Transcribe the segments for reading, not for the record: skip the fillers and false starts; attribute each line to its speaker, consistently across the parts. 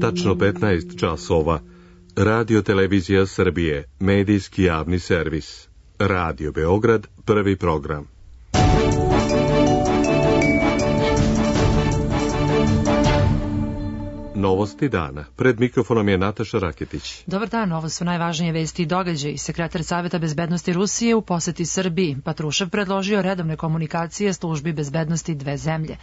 Speaker 1: Tačno 15 časova. Radio Televizija Srbije, medijski javni servis. Radio Beograd, prvi program. Novosti dana. Pred mikrofonom je Nataša Raketić.
Speaker 2: Dobar dan, ovo su najvažnije vesti i događaji. Sekretar Saveta bezbednosti Rusije u poseti Srbiji. Patrušev predložio redovne komunikacije službi bezbednosti dve zemlje.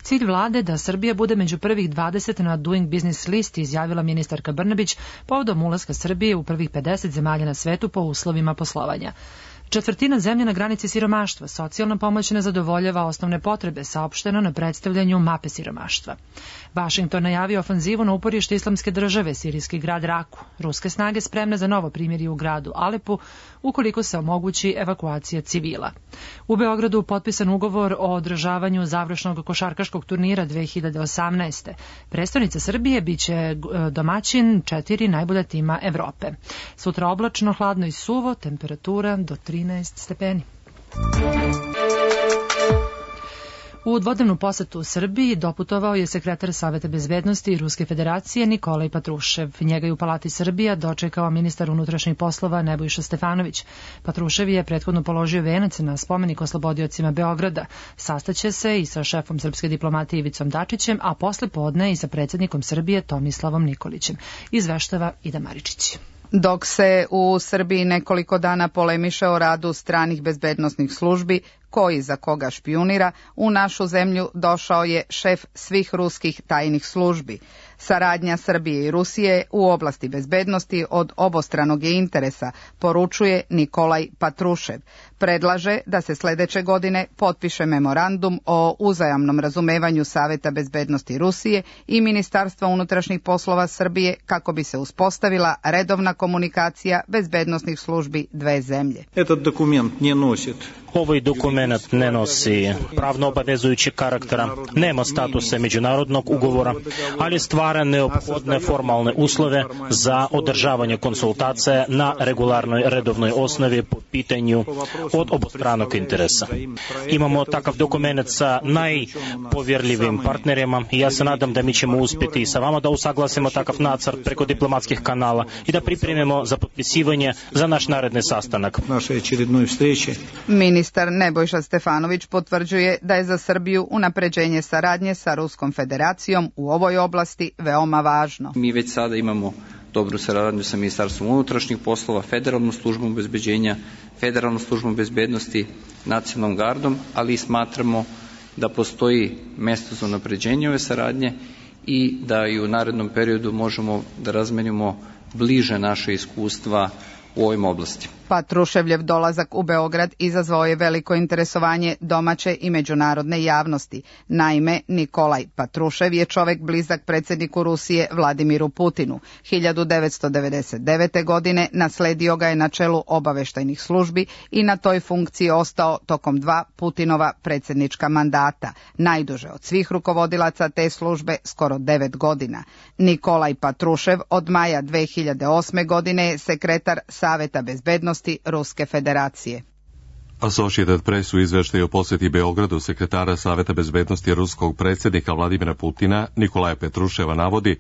Speaker 2: Cilj vlade da Srbija bude među prvih 20 na Doing Business listi, izjavila ministarka Brnabić povodom ulaska Srbije u prvih 50 zemalja na svetu po uslovima poslovanja. Četvrtina zemlje na granici siromaštva, socijalna pomoć ne zadovoljava osnovne potrebe, saopšteno na predstavljanju mape siromaštva. Vašington najavio ofanzivu na uporište Islamske države, sirijski grad Raku. Ruske snage spremne za novo primirje u gradu Alepu, ukoliko se omogući evakuacija civila. U Beogradu potpisan ugovor o održavanju završnog košarkaškog turnira 2018. Prestonica Srbije biće domaćin 4 najbolja tima Evrope. Sutra oblačno, hladno i suvo, temperatura do 13 stepeni. U dvodnevnu posetu u Srbiji doputovao je sekretar Saveta bezbednosti Ruske federacije Nikolaj Patrušev. Njega je u Palati Srbija dočekao ministar unutrašnjih poslova Nebojša Stefanović. Patrušev je prethodno položio venac na spomenik oslobodiocima Beograda. Sastaće se i sa šefom srpske diplomatije Ivicom Dačićem, a posle podne i sa predsjednikom Srbije Tomislavom Nikolićem. Izveštava Ida Maričić.
Speaker 3: Dok se u Srbiji nekoliko dana polemiše o radu stranih bezbednosnih službi, koji za koga špijunira, u našu zemlju došao je šef svih ruskih tajnih službi. Saradnja Srbije i Rusije u oblasti bezbednosti od obostranog je interesa, poručuje Nikolaj Patrušev. Predlaže da se sledeće godine potpiše memorandum o uzajamnom razumevanju Saveta bezbednosti Rusije i Ministarstva unutrašnjih poslova Srbije kako bi se uspostavila redovna komunikacija bezbednosnih službi dve zemlje.
Speaker 4: Ovaj dokument ne nosi pravno obavezujući karaktera, nema statuse međunarodnog ugovora, ali stvara neophodne formalne uslove za održavanje konsultacija na regularnoj redovnoj osnovi po pitanju od obostranog interesa. Imamo takav dokument sa najpovjerljivim partnerima i ja se nadam da mi ćemo uspjeti i sa vama da usaglasimo takav nacrt preko diplomatskih kanala i da pripremimo za potpisivanje za naš naredni sastanak.
Speaker 3: Ministar Nebojša Stefanović potvrđuje da je za Srbiju unapređenje saradnje sa Ruskom federacijom u ovoj oblasti veoma važno.
Speaker 5: Mi već sada imamo dobru saradnju sa Ministarstvom unutrašnjih poslova, Federalnom službom obezbeđenja, Federalnom službom bezbednosti, Nacionalnom gardom, ali smatramo da postoji mesto za unapređenje ove saradnje i da i u narednom periodu možemo da razmenimo bliže naše iskustva u ovim oblastima.
Speaker 3: Patruševljev dolazak u Beograd izazvao je veliko interesovanje domaće i međunarodne javnosti. Naime, Nikolaj Patrušev je čovek blizak predsjedniku Rusije Vladimiru Putinu. 1999. godine nasledio ga je na čelu obaveštajnih službi i na toj funkciji ostao tokom 2 Putinova predsjednička mandata, najduže od svih rukovodilaca te službe skoro 9 godina. Nikolaj Patrušev od maja 2008. godine je sekretar Saveta bezbednosti Ruske federacije.
Speaker 1: Associated Press u izveštaju o posjeti Beogradu sekretara Saveta bezbednosti ruskog predsjednika Vladimira Putina Nikolaja Petruševa navodi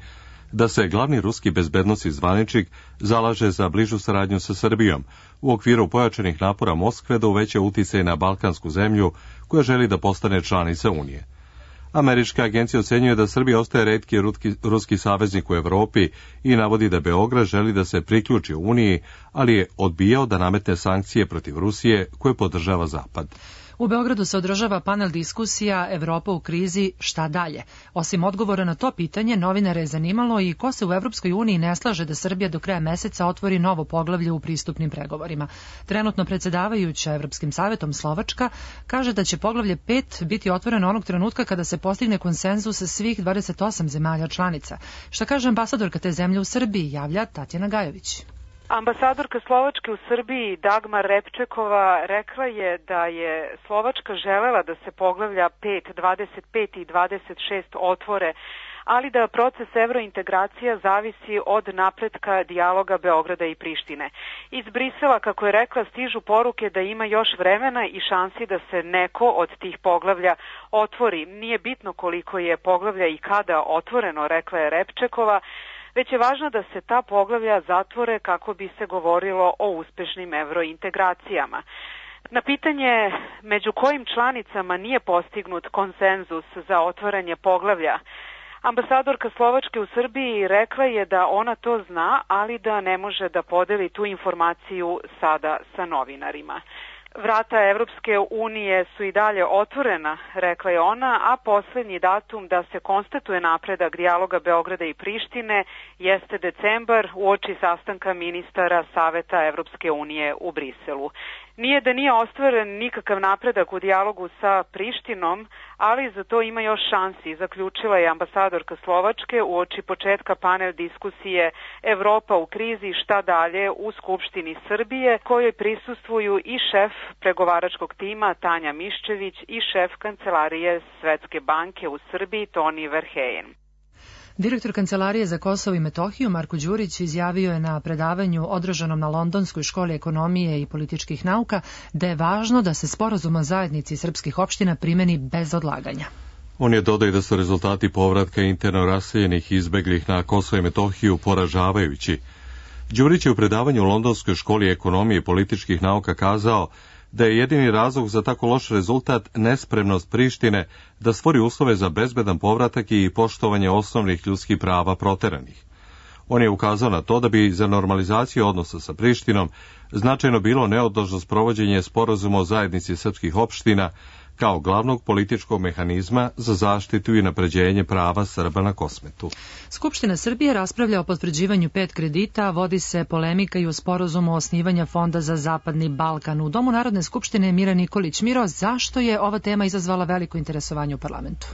Speaker 1: da se glavni ruski bezbednosni zvaničnik zalaže za bližu saradnju sa Srbijom u okviru pojačanih napora Moskve da uveća uticaj na balkansku zemlju koja želi da postane članica Unije. Američka agencija ocenjuje da Srbija ostaje retki ruski saveznik u Evropi i navodi da Beograd želi da se priključi Uniji, ali je odbijao da nametne sankcije protiv Rusije koje podržava Zapad.
Speaker 2: U Beogradu se održava panel diskusija Evropa u krizi, šta dalje? Osim odgovora na to pitanje, novinare je zanimalo i ko se u Evropskoj uniji ne slaže da Srbija do kraja meseca otvori novo poglavlje u pristupnim pregovorima. Trenutno predsjedavajuća Evropskim savetom Slovačka kaže da će poglavlje 5 biti otvoreno onog trenutka kada se postigne konsenzus sa svih 28 zemalja članica. Šta kaže ambasadorka te zemlje u Srbiji, javlja Tatjana Gajović.
Speaker 6: Ambasadorka Slovačke u Srbiji Dagmar Repčekova rekla je da je Slovačka želela da se poglavlja 5, 25 i 26 otvore, ali da proces evrointegracija zavisi od napretka dijaloga Beograda i Prištine. Iz Brisela, kako je rekla, stižu poruke da ima još vremena i šansi da se neko od tih poglavlja otvori. Nije bitno koliko je poglavlja i kada otvoreno, rekla je Repčekova, već je važno da se ta poglavlja zatvore kako bi se govorilo o uspešnim evrointegracijama. Na pitanje među kojim članicama nije postignut konsenzus za otvaranje poglavlja, ambasadorka Slovačke u Srbiji rekla je da ona to zna, ali da ne može da podeli tu informaciju sada sa novinarima. Vrata Evropske unije su i dalje otvorena, rekla je ona, a poslednji datum da se konstatuje napredak dijaloga Beograda i Prištine jeste decembar uoči sastanka ministara Saveta Evropske unije u Briselu. Nije da nije ostvaren nikakav napredak u dijalogu sa Prištinom, ali za to ima još šansi, zaključila je ambasadorka Slovačke uoči početka panel diskusije Evropa u krizi, šta dalje u Skupštini Srbije, kojoj prisustvuju i šef pregovaračkog tima Tanja Miščević i šef Kancelarije Svetske banke u Srbiji Toni Verheyen.
Speaker 2: Direktor Kancelarije za Kosovo i Metohiju Marko Đurić izjavio je na predavanju održanom na Londonskoj školi ekonomije i političkih nauka da je važno da se sporazum o zajednici srpskih opština primeni bez odlaganja.
Speaker 1: On je dodao da su rezultati povratka interno raseljenih i izbeglih na Kosovo i Metohiju poražavajući. Đurić je u predavanju u Londonskoj školi ekonomije i političkih nauka kazao da je jedini razlog za tako loš rezultat nespremnost Prištine da stvori uslove za bezbedan povratak i poštovanje osnovnih ljudskih prava proteranih. On je ukazao na to da bi za normalizaciju odnosa sa Prištinom značajno bilo neodložno sprovođenje sporazuma o zajednici srpskih opština kao glavnog političkog mehanizma za zaštitu i napređenje prava Srba na Kosmetu.
Speaker 2: Skupština Srbije raspravlja o potvrđivanju 5 kredita, vodi se polemika i o sporazumu osnivanja Fonda za Zapadni Balkan. U Domu Narodne skupštine je Mira Nikolić. Miro, zašto je ova tema izazvala veliko interesovanje u parlamentu?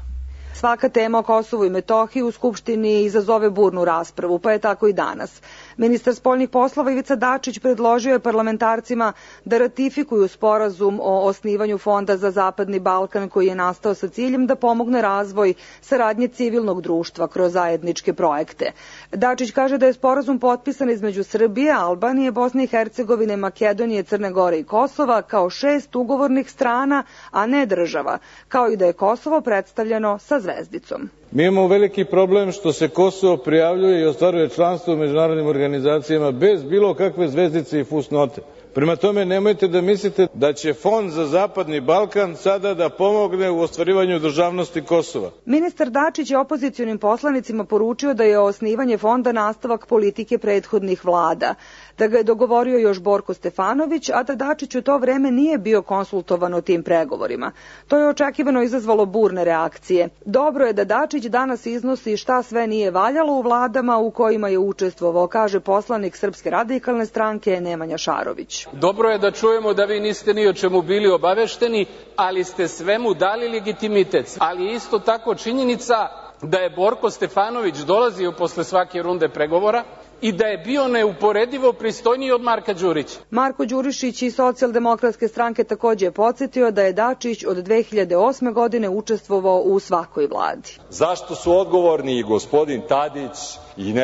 Speaker 7: Svaka tema o Kosovu i Metohiji u Skupštini izazove burnu raspravu, pa je tako i danas. Ministar spoljnih poslova Ivica Dačić predložio je parlamentarcima da ratifikuju sporazum o osnivanju Fonda za Zapadni Balkan koji je nastao sa ciljem da pomogne razvoj saradnje civilnog društva kroz zajedničke projekte. Dačić kaže da je sporazum potpisan između Srbije, Albanije, Bosne i Hercegovine, Makedonije, Crne Gore i Kosova kao 6 ugovornih strana, a ne država, kao i da je Kosovo predstavljeno sa zvezdicom.
Speaker 8: Mi imamo veliki problem što se Kosovo prijavljuje i ostvaruje članstvo u međunarodnim organizacijama bez bilo kakve zvezdice i fusnote. Prema tome, nemojte da mislite da će Fond za Zapadni Balkan sada da pomogne u ostvarivanju državnosti Kosova.
Speaker 7: Ministar Dačić je opozicionim poslanicima poručio da je osnivanje fonda nastavak politike prethodnih vlada, da ga je dogovorio još Borko Stefanović, a da Dačić u to vreme nije bio konsultovan o tim pregovorima. To je očekivano izazvalo burne reakcije. Dobro je da Dačić danas iznosi šta sve nije valjalo u vladama u kojima je učestvovao, kaže poslanik Srpske radikalne stranke Nemanja Šarović.
Speaker 9: Dobro je da čujemo da vi niste ni o čemu bili obavešteni, ali ste svemu dali legitimitet. Ali isto tako činjenica da je Borko Stefanović dolazio posle svake runde pregovora i da je bio neuporedivo pristojniji od Marka Đurića.
Speaker 7: Marko Đurišić iz Socijaldemokratske stranke takođe je podsjetio da je Dačić od 2008. godine učestvovao u svakoj vladi.
Speaker 10: Zašto su odgovorni i gospodin Tadić i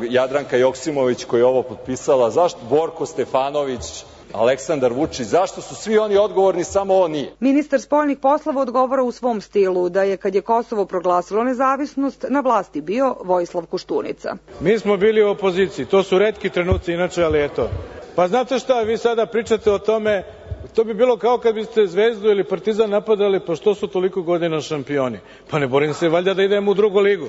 Speaker 10: Jadranka Joksimović koja je ovo potpisala, zašto Borko Stefanović, Aleksandar Vučić, zašto su svi oni odgovorni, samo on nije?
Speaker 7: Ministar spoljnih poslova odgovara u svom stilu da je kad je Kosovo proglasilo nezavisnost na vlasti bio Vojislav Koštunica.
Speaker 8: Mi smo bili u opoziciji, to su retki trenuci inače, ali eto. Pa znate šta, vi sada pričate o tome, to bi bilo kao kad biste Zvezdu ili Partizan napadali, pa što su toliko godina šampioni? Pa ne borim se valjda da idemo u drugu ligu.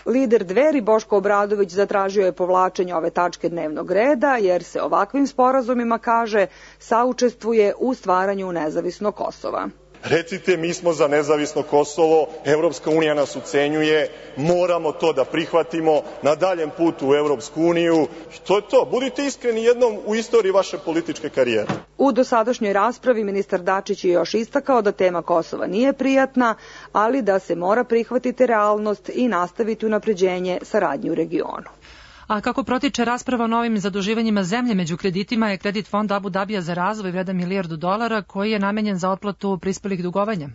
Speaker 7: Lider Dveri Boško Obradović zatražio je povlačenje ove tačke dnevnog reda jer se ovakvim sporazumima, kaže, saučestvuje u stvaranju nezavisnog Kosova.
Speaker 11: Recite, mi smo za nezavisno Kosovo, Evropska unija nas ucenjuje, moramo to da prihvatimo na daljem putu u Evropsku uniju. To je to. Budite iskreni jednom u istoriji vaše političke karijere.
Speaker 7: U dosadašnjoj raspravi ministar Dačić je još istakao da tema Kosova nije prijatna, ali da se mora prihvatiti realnost i nastaviti unapređenje saradnje u regionu.
Speaker 2: A kako protiče rasprava o novim zaduživanjima zemlje, među kreditima je kredit fonda Abu Dabija za razvoj vredan $1 milijardu koji je namenjen za otplatu prispelih dugovanja.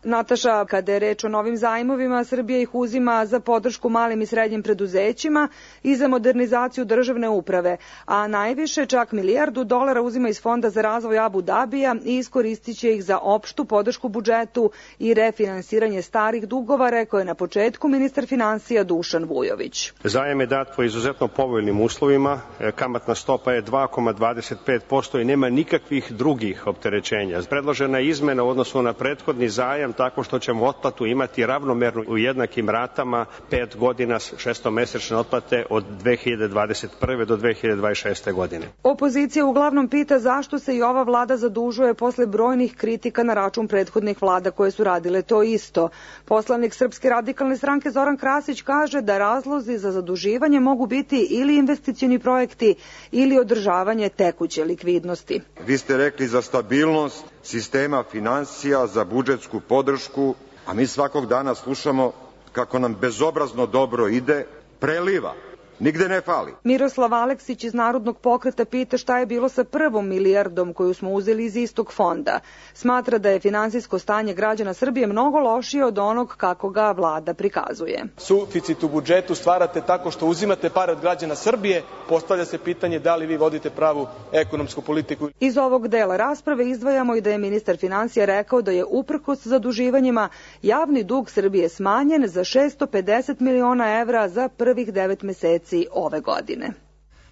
Speaker 7: Nataša, kada je reč o novim zajmovima, Srbija ih uzima za podršku malim i srednjim preduzećima i za modernizaciju državne uprave, a najviše, čak $1 milijardu uzima iz Fonda za razvoj Abu Dabija i iskoristit će ih za opštu podršku budžetu i refinansiranje starih dugova, rekao je na početku ministar finansija Dušan Vujović.
Speaker 12: Zajam je dat po izuzetno povoljnim uslovima, kamatna stopa je 2,25% i nema nikakvih drugih opterećenja. Predložena je izmena u odnosu na prethodni zajam tako što ćemo otplatu imati ravnomernu u jednakim ratama 5 godina šestomesečne otplate od 2021. do 2026. godine.
Speaker 7: Opozicija uglavnom pita zašto se i ova vlada zadužuje posle brojnih kritika na račun prethodnih vlada koje su radile to isto. Poslanik Srpske radikalne stranke Zoran Krasić kaže da razlozi za zaduživanje mogu biti ili investicioni projekti ili održavanje tekuće likvidnosti.
Speaker 13: Vi ste rekli za stabilnost sistema finansija, za budžetsku podršku, a mi svakog dana slušamo kako nam bezobrazno dobro ide, preliva. Nigde ne fali.
Speaker 7: Miroslav Aleksić iz Narodnog pokreta pita šta je bilo sa prvom milijardom koju smo uzeli iz istog fonda. Smatra da je finansijsko stanje građana Srbije mnogo lošije od onog kako ga vlada prikazuje.
Speaker 14: Suficit u budžetu stvarate tako što uzimate pare od građana Srbije, postavlja se pitanje da li vi vodite pravu ekonomsku politiku.
Speaker 7: Iz ovog dela rasprave izdvajamo i da je ministar finansija rekao da je uprkos zaduživanjima javni dug Srbije smanjen za 650 miliona evra za prvih 9 meseci ove godine.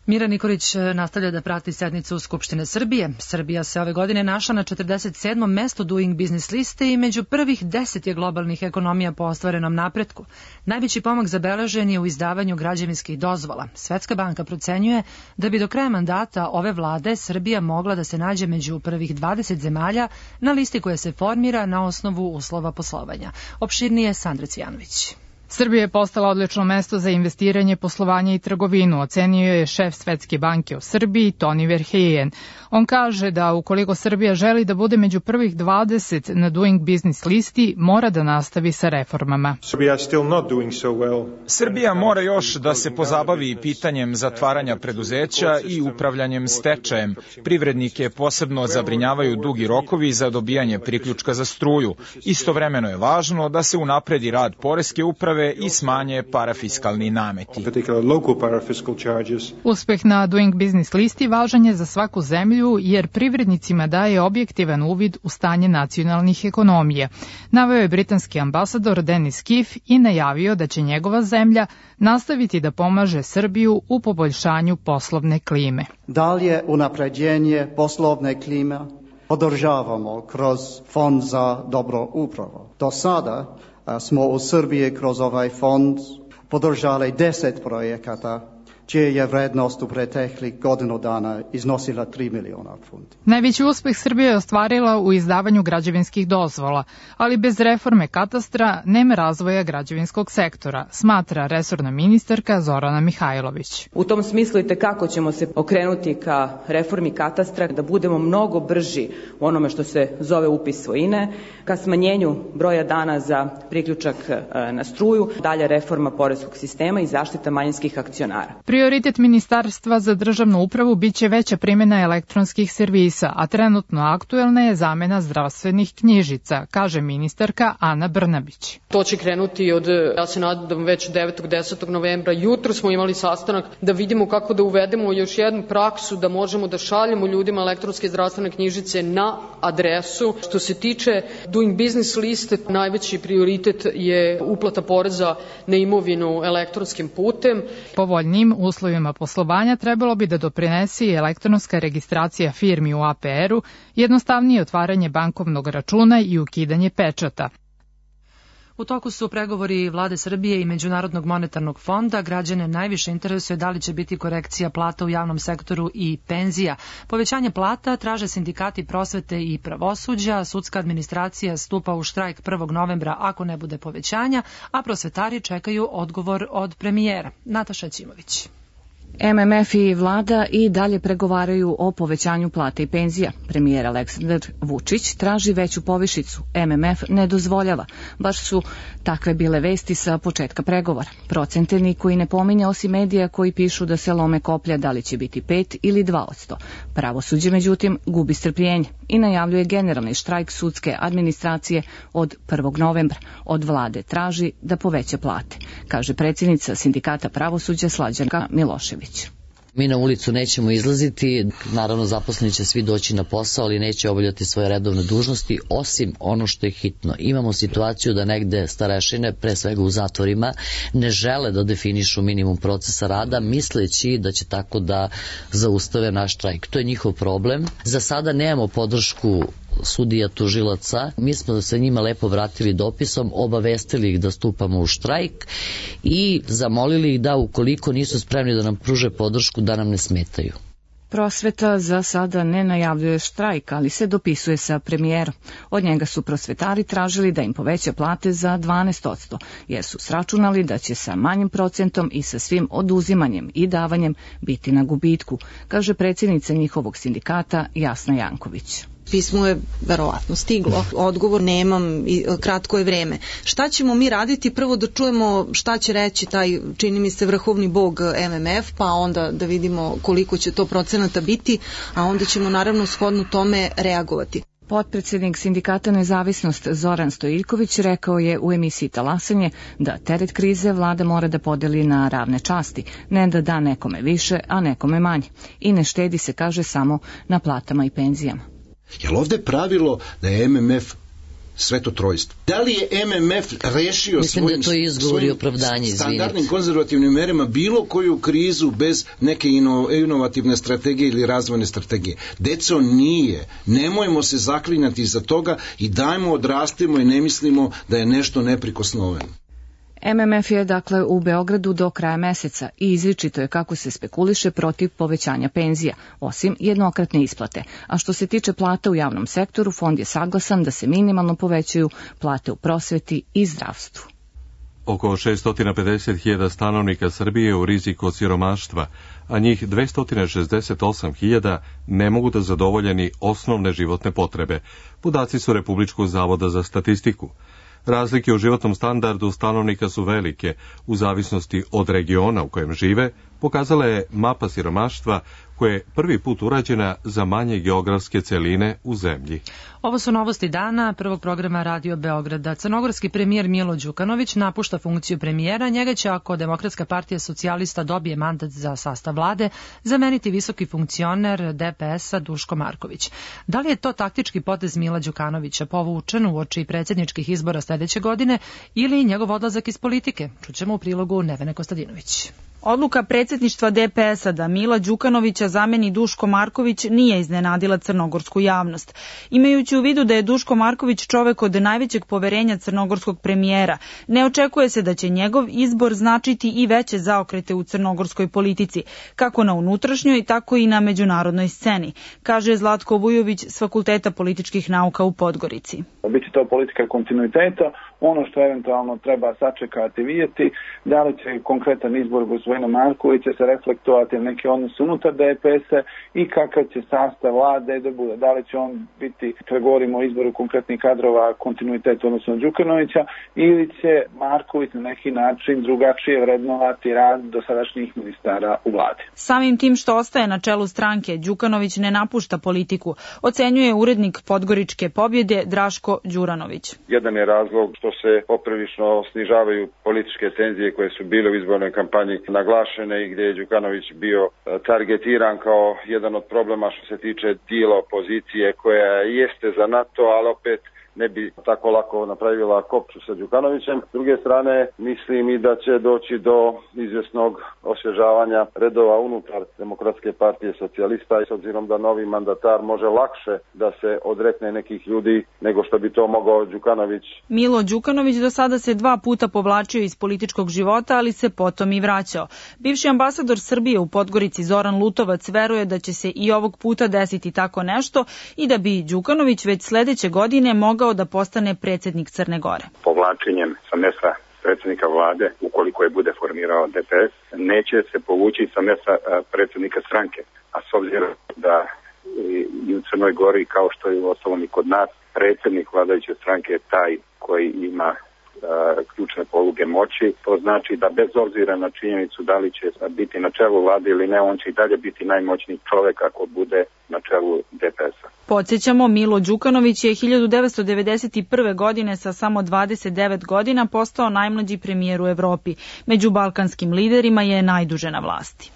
Speaker 2: Mira Nikolić nastavlja da prati sednicu Skupštine Srbije. Srbija se ove godine našla na 47. mestu Doing Business liste i među prvih 10 je globalnih ekonomija po ostvarenom napretku. Najveći pomak zabeležen je u izdavanju građevinskih dozvola. Svetska banka procenjuje da bi do kraja mandata ove vlade Srbija mogla da se nađe među prvih 20 zemalja na listi koja se formira na osnovu uslova poslovanja. Opširnije Sandra Cijanović.
Speaker 15: Srbija je postala odlično mesto za investiranje, poslovanje i trgovinu, ocenio je šef Svetske banke u Srbiji, Toni Verheyen. On kaže da ukoliko Srbija želi da bude među prvih 20 na Doing Business listi, mora da nastavi sa reformama.
Speaker 16: Srbija mora još da se pozabavi pitanjem zatvaranja preduzeća i upravljanjem stečajem. Privrednike posebno zabrinjavaju dugi rokovi za dobijanje priključka za struju. Istovremeno je važno da se unapredi rad poreske uprave i smanje parafiskalni nameti.
Speaker 15: Uspeh na Doing Business listi važan je za svaku zemlju jer privrednicima daje objektivan uvid u stanje nacionalnih ekonomija. Naveo je britanski ambasador Denis Kiff i najavio da će njegova zemlja nastaviti da pomaže Srbiju u poboljšanju poslovne klime.
Speaker 17: Dalje unapređenje poslovne klime podržavamo kroz Fond za dobro upravo. Do sada smo u Srbiji kroz ovaj fond podržali 10 projekata, čija je vrednost u preteklih godinu dana iznosila 3 miliona funti.
Speaker 15: Najveći uspeh Srbija je ostvarila u izdavanju građevinskih dozvola, ali bez reforme katastra nema razvoja građevinskog sektora, smatra resorna ministarka Zorana Mihajlović.
Speaker 18: U tom smislu i tekako ćemo se okrenuti ka reformi katastra, da budemo mnogo brži u onome što se zove upis svojine, ka smanjenju broja dana za priključak na struju, dalje reforma poreskog sistema i zaštita manjinskih akcionara.
Speaker 15: Prioritet Ministarstva za državnu upravu biće veća primjena elektronskih servisa, a trenutno aktuelna je zamena zdravstvenih knjižica, kaže ministarka Ana Brnabić.
Speaker 19: To će krenuti od, ja se nadam, već 9. 10. novembra. Jutro smo imali sastanak da vidimo kako da uvedemo još jednu praksu da možemo da šaljemo ljudima elektronske zdravstvene knjižice na adresu. Što se tiče Doing Business liste, najveći prioritet je uplata poreza na imovinu elektronskim putem.
Speaker 15: Povoljnim uslovima poslovanja trebalo bi da doprinese i elektronska registracija firmi u APR-u, jednostavnije otvaranje bankovnog računa i ukidanje pečata.
Speaker 2: U toku su pregovori Vlade Srbije i Međunarodnog monetarnog fonda. Građane najviše interesuje da li će biti korekcija plata u javnom sektoru i penzija. Povećanje plata traže sindikati prosvete i pravosuđa. Sudska administracija stupa u štrajk 1. novembra ako ne bude povećanja, a prosvetari čekaju odgovor od premijera. Nataša Ćimović.
Speaker 20: MMF i vlada i dalje pregovaraju o povećanju plata i penzija. Premijer Aleksandar Vučić traži veću povišicu. MMF ne dozvoljava. Baš su takve bile vesti sa početka pregovora. Procente niko i ne pominje osim medija koji pišu da se lome koplja da li će biti 5 ili 2%. Pravosuđe, međutim, gubi strpljenje i najavljuje generalni štrajk sudske administracije od 1. novembra. Od vlade traži da poveća plate, kaže predsjednica Sindikata pravosuđa Slađanka Milošević.
Speaker 21: Mi na ulicu nećemo izlaziti, naravno zaposleni će svi doći na posao, ali neće obavljati svoje redovne dužnosti, osim ono što je hitno. Imamo situaciju da negde starešine, pre svega u zatvorima, ne žele da definišu minimum procesa rada, misleći da će tako da zaustave naš štrajk. To je njihov problem. Za sada nemamo podršku sudija, tužilaca. Mi smo se njima lepo vratili dopisom, obavestili ih da stupamo u štrajk i zamolili ih da ukoliko nisu spremni da nam pruže podršku, da nam ne smetaju.
Speaker 20: Prosveta za sada ne najavljuje štrajk, ali se dopisuje sa premijerom. Od njega su prosvetari tražili da im poveća plate za 12%, jer su sračunali da će sa manjim procentom i sa svim oduzimanjem i davanjem biti na gubitku, kaže predsjednica njihovog sindikata Jasna Janković.
Speaker 22: Pismo je verovatno stiglo, odgovor nemam i kratko je vreme. Šta ćemo mi raditi? Prvo da čujemo šta će reći taj, čini mi se, vrhovni bog MMF, pa onda da vidimo koliko će to procenata biti, a onda ćemo naravno shodno tome reagovati.
Speaker 20: Potpredsjednik Sindikata Nezavisnost Zoran Stojiljković rekao je u emisiji Talasanje da teret krize vlada mora da podeli na ravne časti, ne da da nekome više, a nekome manje. I ne štedi se, kaže, samo na platama i penzijama.
Speaker 23: Jel ovde pravilo da je MMF sveto trojstvo? Da li je MMF rešio svojim standardnim konzervativnim merama bilo koju krizu bez neke inovativne strategije ili razvojne strategije? Deco, nije. Nemojmo se zaklinjati za toga i dajmo, odrastimo i ne mislimo da je nešto neprikosnoveno.
Speaker 20: MMF je dakle u Beogradu do kraja meseca i izričito je kako se spekuliše protiv povećanja penzija, osim jednokratne isplate. A što se tiče plata u javnom sektoru, fond je saglasan da se minimalno povećaju plate u prosveti i zdravstvu.
Speaker 1: Oko 650.000 stanovnika Srbije je u riziku od siromaštva, a njih 268.000 ne mogu da zadovoljeni osnovne životne potrebe. Podaci su Republičkog zavoda za statistiku. Razlike u životnom standardu stanovnika su velike, u zavisnosti od regiona u kojem žive, pokazala je mapa siromaštva koja je prvi put urađena za manje geografske celine u zemlji.
Speaker 2: Ovo su novosti dana prvog programa Radio Beograda. Crnogorski premijer Milo Đukanović napušta funkciju premijera. Njega će, ako Demokratska partija socijalista dobije mandat za sastav vlade, zameniti visoki funkcioner DPS-a Duško Marković. Da li je to taktički potez Mila Đukanovića povučen uoči predsjedničkih izbora sljedeće godine ili njegov odlazak iz politike? Čućemo u prilogu Nevene Kostadinović.
Speaker 24: Odluka predsjedništva DPS-a da Mila Đukanovića zameni Duško Marković nije iznenadila crnogorsku javnost. Imajući u vidu da je Duško Marković čovek od najvećeg poverenja crnogorskog premijera, ne očekuje se da će njegov izbor značiti i veće zaokrete u crnogorskoj politici, kako na unutrašnjoj, tako i na međunarodnoj sceni, kaže Zlatko Vujović s Fakulteta političkih nauka u Podgorici.
Speaker 25: Biće to politika kontinuiteta, ono što eventualno treba sačekati, vidjeti, da li će konkretan izbor gospodina Markovića se reflektovati na neke odnose unutar DPS-a i kakav će sastav vlade da bude. Da li će on biti, kada govorimo o izboru konkretnih kadrova, kontinuitet odnosno Đukanovića, ili će Marković na neki način drugačije vrednovati rad dosadašnjih ministara u vladi.
Speaker 24: Samim tim što ostaje na čelu stranke, Đukanović ne napušta politiku, ocenjuje urednik Podgoričke pobjede Draško Đuranović.
Speaker 26: Jedan je razlog što se poprilično snižavaju političke tenzije koje su bile u izbornoj kampanji naglašene i gdje je Đukanović bio targetiran kao jedan od problema što se tiče dijela opozicije koja jeste za NATO, ali opet ne bi tako lako napravila kopču sa Đukanovićem. S druge strane, mislim i da će doći do izvjesnog osvježavanja redova unutar Demokratske partije socijalista i s obzirom da novi mandatar može lakše da se odrekne nekih ljudi nego što bi to mogao Đukanović.
Speaker 24: Milo Đukanović do sada se 2 puta povlačio iz političkog života, ali se potom i vraćao. Bivši ambasador Srbije u Podgorici Zoran Lutovac veruje da će se i ovog puta desiti tako nešto i da bi Đukanović već sledeće godine mogao da postane predsjednik Crne Gore.
Speaker 27: Povlačenjem sa mjesta
Speaker 3: predsjednika vlade, ukoliko je bude formirao DPS, neće se povući sa mesta predsjednika stranke. A s obzirom da i u Crnoj Gori, kao što je u ostalom i kod nas, predsjednik vladajuće stranke je taj koji ima ključne poluge moći. To znači da bez obzira na činjenicu da li će biti na čelu vlade ili ne, on će i dalje biti najmoćniji čovek ako bude na čelu DPS-a.
Speaker 24: Podsjećamo, Milo Đukanović je 1991. godine sa samo 29 godina postao najmlađi premijer u Evropi. Među balkanskim liderima je najduže na vlasti.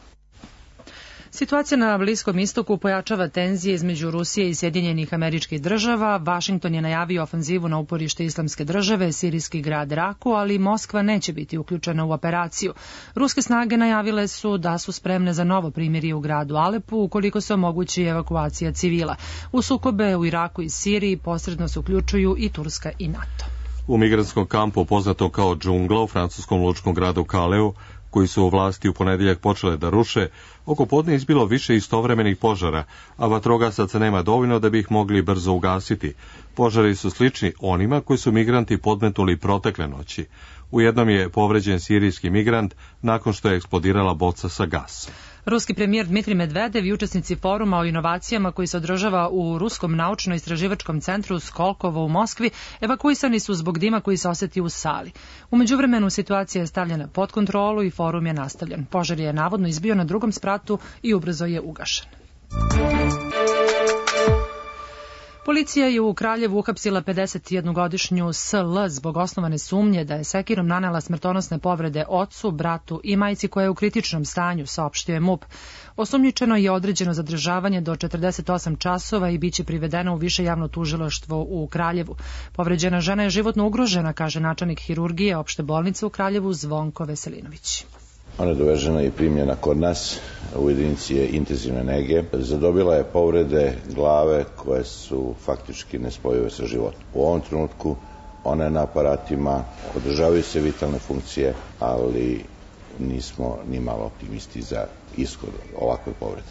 Speaker 2: Situacija na Bliskom istoku pojačava tenzije između Rusije i Sjedinjenih Američkih Država. Vašington je najavio ofanzivu na uporište Islamske države, sirijski grad Raku, ali Moskva neće biti uključena u operaciju. Ruske snage najavile su da su spremne za novo primirje u gradu Alepu ukoliko se omogući evakuacija civila. U sukobe u Iraku i Siriji posredno se uključuju i Turska i NATO.
Speaker 1: U migrantskom kampu poznato kao džungla u francuskom lučkom gradu Kaleu, koji su u vlasti u ponedeljak počele da ruše, oko podne izbilo više istovremenih požara, a vatrogasaca nema dovoljno da bi ih mogli brzo ugasiti. Požari su slični onima koji su migranti podmetnuli protekle noći. U jednom je povređen sirijski migrant nakon što je eksplodirala boca sa gasom.
Speaker 2: Ruski premijer Dmitrij Medvedev i učesnici foruma o inovacijama koji se održava u Ruskom naučno-istraživačkom centru Skolkovo u Moskvi evakuisani su zbog dima koji se osjeti u sali. U međuvremenu situacija je stavljena pod kontrolu i forum je nastavljen. Požar je navodno izbio na drugom spratu i ubrzo je ugašen. Policija je u Kraljevu uhapsila 51-godišnju S.L. zbog osnovane sumnje da je sekirom nanela smrtonosne povrede ocu, bratu i majci koja je u kritičnom stanju, saopštio je MUP. Osumnjičeno je određeno zadržavanje do 48 časova i biće privedeno u više javno tužilaštvo u Kraljevu. Povređena žena je životno ugrožena, kaže načelnik hirurgije opšte bolnice u Kraljevu Zvonko Veselinović.
Speaker 4: Ona je dovežena i primljena kod nas u jedinici intenzivne nege. Zadobila je povrede glave koje su faktički nespojive sa životom. U ovom trenutku ona je na aparatima, održavaju se vitalne funkcije, ali nismo ni malo optimisti za ishod ovakve povrede.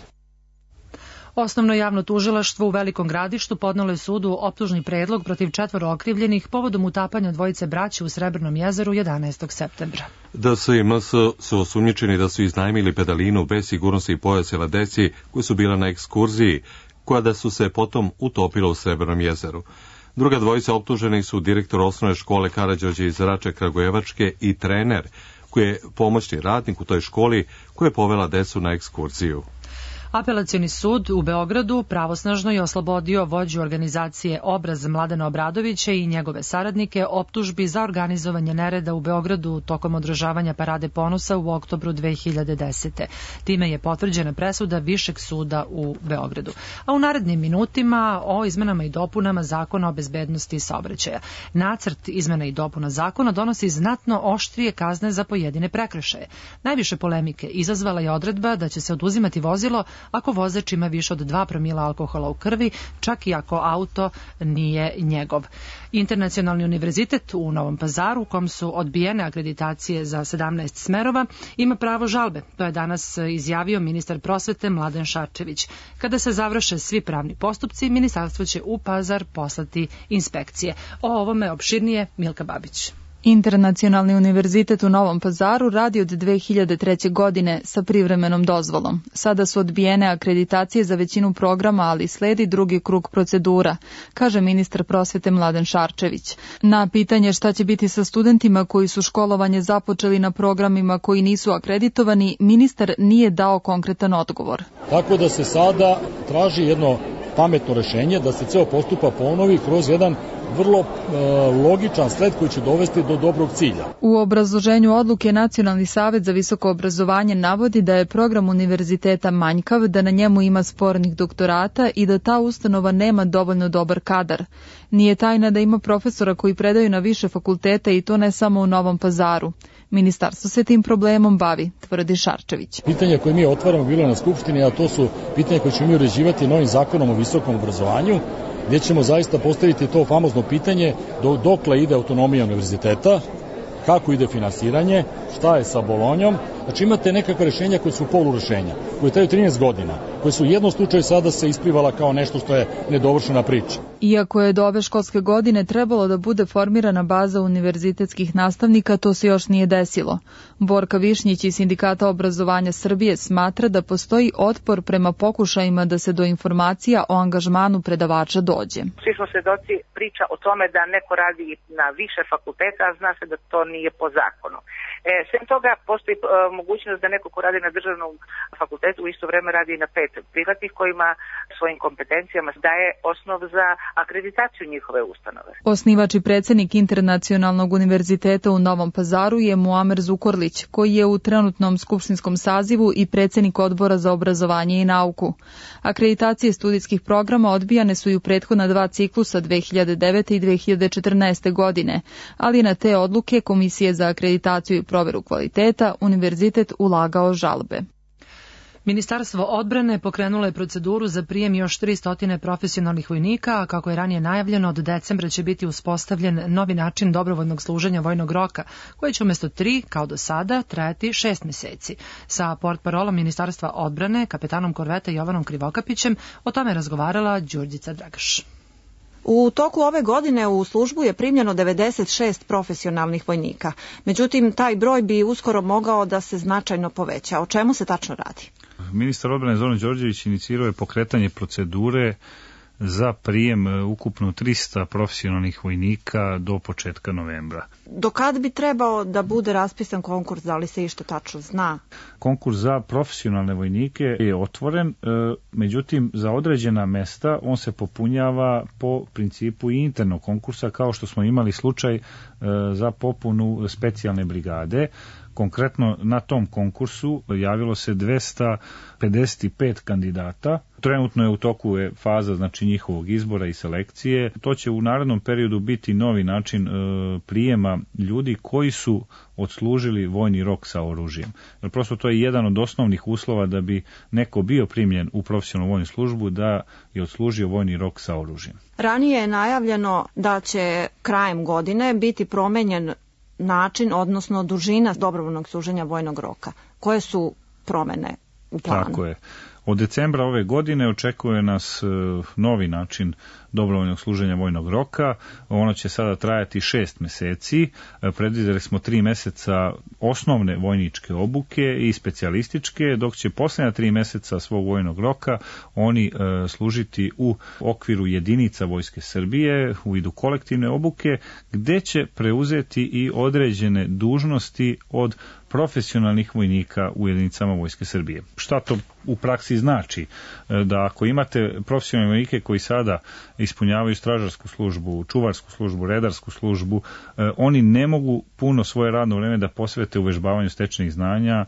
Speaker 2: Osnovno javno tužilaštvo u Velikom Gradištu podnelo je sudu optužni predlog protiv 4 okrivljenih povodom utapanja dvojice braće u Srebrnom jezeru 11. septembra.
Speaker 1: DS i MS su osumnjičeni da su iznajmili pedalinu bez sigurnosti i pojaseva deci koji su bila na ekskurziji, koja da su se potom utopila u Srebrnom jezeru. Druga dvojica optuženih su direktor osnovne škole Karađorđe iz Rače Kragujevačke i trener, koji je pomoćni radnik u toj školi koja je povela decu na ekskurziju.
Speaker 2: Apelacioni sud u Beogradu pravosnažno je oslobodio vođu organizacije Obraz Mladena Obradovića i njegove saradnike optužbi za organizovanje nereda u Beogradu tokom održavanja Parade ponosa u oktobru 2010. Time je potvrđena presuda Višeg suda u Beogradu. A u narednim minutima o izmenama i dopunama Zakona o bezbednosti saobraćaja. Nacrt izmena i dopuna zakona donosi znatno oštrije kazne za pojedine prekršaje. Najviše polemike izazvala je odredba da će se oduzimati vozilo ako vozač ima više od 2 promila alkohola u krvi, čak i ako auto nije njegov. Internacionalni univerzitet u Novom Pazaru, u kom su odbijene akreditacije za 17 smerova, ima pravo žalbe. To je danas izjavio ministar prosvete Mladen Šarčević. Kada se završe svi pravni postupci, ministarstvo će u Pazar poslati inspekcije. O ovome opširnije Milka Babić.
Speaker 24: Internacionalni univerzitet u Novom Pazaru radi od 2003. godine sa privremenom dozvolom. Sada su odbijene akreditacije za većinu programa, ali sledi drugi krug procedura, kaže ministar prosvete Mladen Šarčević. Na pitanje šta će biti sa studentima koji su školovanje započeli na programima koji nisu akreditovani, ministar nije dao konkretan odgovor.
Speaker 5: Tako da se sada traži jedno pametno rešenje da se ceo postupak ponovi kroz jedan vrlo logičan sled koji će dovesti do dobrog cilja.
Speaker 24: U obrazloženju odluke Nacionalni savet za visoko obrazovanje navodi da je program univerziteta manjkav, da na njemu ima spornih doktorata i da ta ustanova nema dovoljno dobar kadar. Nije tajna da ima profesora koji predaju na više fakulteta i to ne samo u Novom Pazaru. Ministarstvo se tim problemom bavi, tvrdi Šarčević.
Speaker 5: Pitanje koje mi otvaramo bilo na Skupštini, a to su pitanje koje ćemo mi uređivati novim zakonom o visokom obrazovanju, gdje ćemo zaista postaviti to famozno pitanje dokle ide autonomija univerziteta, kako ide finansiranje, šta je sa Bolonjom Znači imate nekakve rešenja koje su polurešenja, koje traju 13 godina, koje su u jednom slučaju sada se isplivala kao nešto što je nedovršena priča.
Speaker 24: Iako je do ove školske godine trebalo da bude formirana baza univerzitetskih nastavnika, to se još nije desilo. Borka Višnjić iz Sindikata obrazovanja Srbije smatra da postoji otpor prema pokušajima da se do informacija o angažmanu predavača dođe.
Speaker 6: Svi smo svedoci priča o tome da neko radi na više fakulteta, a zna se da to nije po zakonu. Sem toga, postoji mogućnost da neko ko radi na državnom fakultetu u isto vreme radi i na 5 privatnih kojima svojim kompetencijama daje osnov za akreditaciju njihove ustanove.
Speaker 24: Osnivač i predsednik Internacionalnog univerziteta u Novom Pazaru je Muamer Zukorlić, koji je u trenutnom skupštinskom sazivu i predsednik odbora za obrazovanje i nauku. Akreditacije studijskih programa odbijane su i u prethodna 2 ciklusa 2009. i 2014. godine, ali na te odluke Komisije za akreditaciju i proveru kvaliteta univerzitet ulagao žalbe.
Speaker 2: Ministarstvo odbrane pokrenulo je proceduru za prijem još 300 profesionalnih vojnika, a kako je ranije najavljeno, od decembra će biti uspostavljen novi način dobrovoljnog služenja vojnog roka, koji će umjesto 3, kao do sada, trajati 6 meseci. Sa portparolom Ministarstva odbrane, kapetanom korveta Jovanom Krivokapićem, o tome razgovarala Đurđica Dragaš.
Speaker 22: U toku ove godine u službu je primljeno 96 profesionalnih vojnika. Međutim, taj broj bi uskoro mogao da se značajno poveća. O čemu se tačno radi?
Speaker 8: Ministar odbrane Zoran Đorđević inicirao je pokretanje procedure za prijem ukupno 300 profesionalnih vojnika do početka novembra.
Speaker 22: Do kad bi trebao da bude raspisan konkurs, da li se išta tačno zna?
Speaker 8: Konkurs za profesionalne vojnike je otvoren, međutim za određena mesta on se popunjava po principu i internog konkursa, kao što smo imali slučaj za popunu specijalne brigade. Konkretno na tom konkursu javilo se 255 kandidata. Trenutno je u toku faza znači njihovog izbora i selekcije. To će u narednom periodu biti novi način prijema ljudi koji su odslužili vojni rok sa oružjem. Jer prosto to je jedan od osnovnih uslova da bi neko bio primljen u profesionalnu vojnu službu, da je odslužio vojni rok sa oružjem.
Speaker 22: Ranije je najavljeno da će krajem godine biti promenjen način, odnosno dužina dobrovoljnog služenja vojnog roka. Koje su promene u planu?
Speaker 8: Tako je. Od decembra ove godine očekuje nas novi način dobrovoljnog služenja vojnog roka. Ono će sada trajati 6 meseci. Predvidjeli smo 3 meseca osnovne vojničke obuke i specijalističke, dok će posljednja 3 meseca svog vojnog roka oni služiti u okviru jedinica Vojske Srbije u vidu kolektivne obuke, gde će preuzeti i određene dužnosti od profesionalnih vojnika u jedinicama Vojske Srbije. Šta to u praksi znači? Da ako imate profesionalne vojnike koji sada ispunjavaju stražarsku službu, čuvarsku službu, redarsku službu, oni ne mogu puno svoje radno vreme da posvete uvežbavanju stečenih znanja,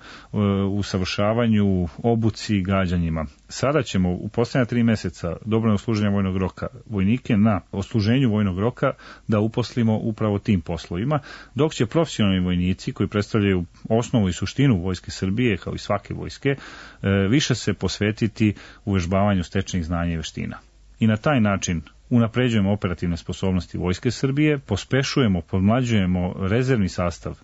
Speaker 8: usavršavanju, obuci i gađanjima. Sada ćemo u posljednja 3 meseca dobrovoljnog služenja vojnog roka vojnike na odsluženju vojnog roka da uposlimo upravo tim poslovima, dok će profesionalni vojnici koji predstavljaju osnovu i suštinu Vojske Srbije, kao i svake vojske, više se posvetiti uvežbavanju stečenih znanja i veština. I na taj način unapređujemo operativne sposobnosti Vojske Srbije, pospešujemo, podmlađujemo rezervni sastav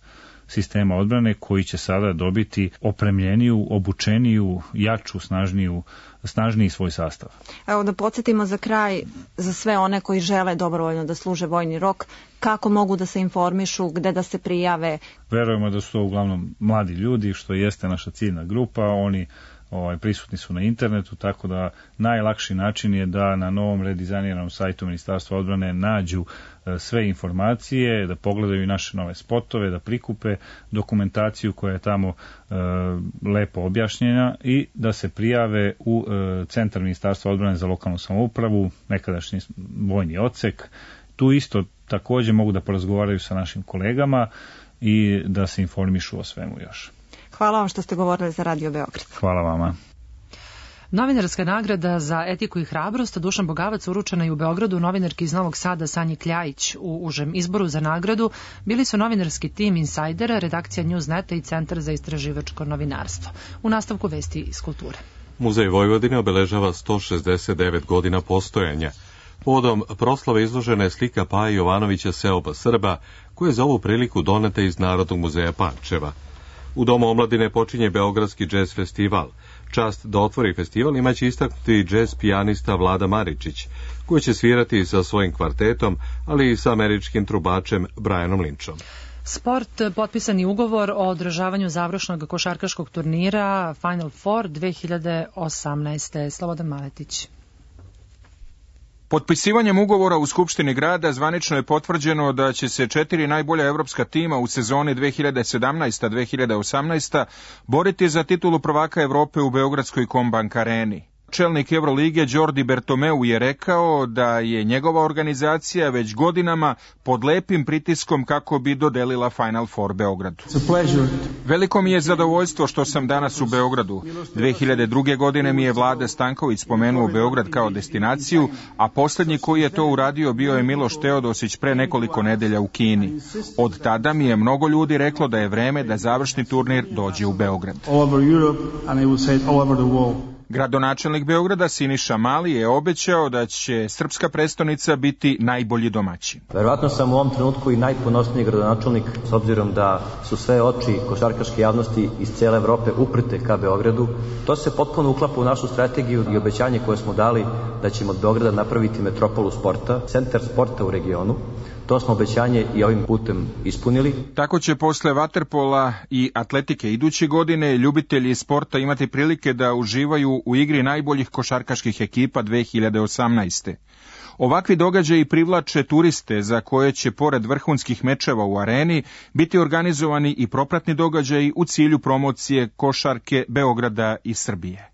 Speaker 8: sistema odbrane koji će sada dobiti opremljeniju, obučeniju, jaču, snažniji svoj sastav.
Speaker 22: Evo da podsjetimo za kraj, za sve one koji žele dobrovoljno da služe vojni rok, kako mogu da se informišu, gde da se prijave?
Speaker 8: Verujemo da su to uglavnom mladi ljudi, što jeste naša ciljna grupa, oni prisutni su na internetu, tako da najlakši način je da na novom redizajniranom sajtu Ministarstva odbrane nađu sve informacije, da pogledaju i naše nove spotove, da prikupe dokumentaciju koja je tamo lepo objašnjena i da se prijave u Centar Ministarstva odbrane za lokalnu samoupravu, nekadašnji vojni odsek. Tu isto također mogu da porazgovaraju sa našim kolegama i da se informišu o svemu još.
Speaker 22: Hvala vam što ste govorili za Radio Beograd.
Speaker 8: Hvala vama.
Speaker 2: Novinarska nagrada za etiku i hrabrost Dušan Bogavac uručena je u Beogradu novinarki iz Novog Sada Sanji Kljajić. U užem izboru za nagradu bili su novinarski tim Insajdera, redakcija Newsneta i Centar za istraživačko novinarstvo. U nastavku vesti iz kulture.
Speaker 1: Muzej Vojvodine obeležava 169 godina postojanja. Povodom proslave izložena je slika Paje Jovanovića Seoba Srba, koja je za ovu priliku doneta iz Narodnog muzeja Pančeva. U Domu omladine počinje Beogradski džez festival. Čast da otvori festival imaće istaknuti džez pijanista Vlada Maričić, koji će svirati sa svojim kvartetom, ali i sa američkim trubačem Brianom Lynchom.
Speaker 2: Sport, potpisani ugovor o održavanju završnog košarkaškog turnira Final Four 2018. Slobodan Maletić.
Speaker 16: Potpisivanjem ugovora u Skupštini grada zvanično je potvrđeno da će se 4 najbolja evropska tima u sezoni 2017-2018 boriti za titulu prvaka Evrope u Beogradskoj Kombank areni. Čelnik Evrolige Đordi Bertomeu je rekao da je njegova organizacija već godinama pod lepim pritiskom kako bi dodelila Final Four Beogradu. Veliko mi je zadovoljstvo što sam danas u Beogradu. 2002. godine mi je Vlada Stanković spomenuo Beograd kao destinaciju, a posljednji koji je to uradio bio je Miloš Teodosić pre nekoliko nedelja u Kini. Od tada mi je mnogo ljudi reklo da je vreme da završni turnir dođe u Beograd. Gradonačelnik Beograda Siniša Mali je obećao da će srpska prestonica biti najbolji domaćin.
Speaker 9: Verovatno sam u ovom trenutku i najponosniji gradonačelnik, s obzirom da su sve oči košarkaške javnosti iz cijele Evrope uprte ka Beogradu. To se potpuno uklapa u našu strategiju i obećanje koje smo dali da ćemo od Beograda napraviti metropolu sporta, centar sporta u regionu. To smo obećanje i ovim putem ispunili.
Speaker 16: Tako će posle vaterpola i atletike iduće godine ljubitelji sporta imati prilike da uživaju u igri najboljih košarkaških ekipa 2018. Ovakvi događaji privlače turiste za koje će pored vrhunskih mečeva u areni biti organizovani i propratni događaji u cilju promocije košarke Beograda i Srbije.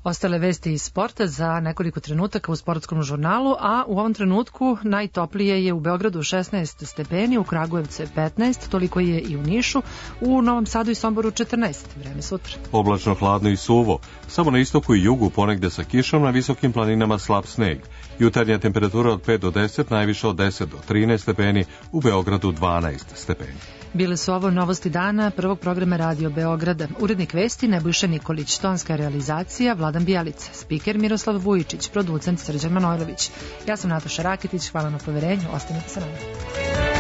Speaker 2: Ostale vesti iz sporta za nekoliko trenutaka u sportskom žurnalu, a u ovom trenutku najtoplije je u Beogradu 16 stepeni, u Kragujevcu 15, toliko je i u Nišu, u Novom Sadu i Somboru 14. Vreme sutra.
Speaker 1: Oblačno, hladno i suvo. Samo na istoku i jugu ponegde sa kišom, na visokim planinama slab sneg. Jutarnja temperatura od 5 do 10, najviše od 10 do 13 stepeni, u Beogradu 12 stepeni.
Speaker 2: Bile su ovo novosti dana prvog programa Radio Beograda. Urednik vesti Nebojša Nikolić, tonska realizacija Vladan Bijelica, spiker Miroslav Vujičić, producent Srđan Manojlović. Ja sam Nataša Raketić, hvala na poverenju, ostanite sa nama.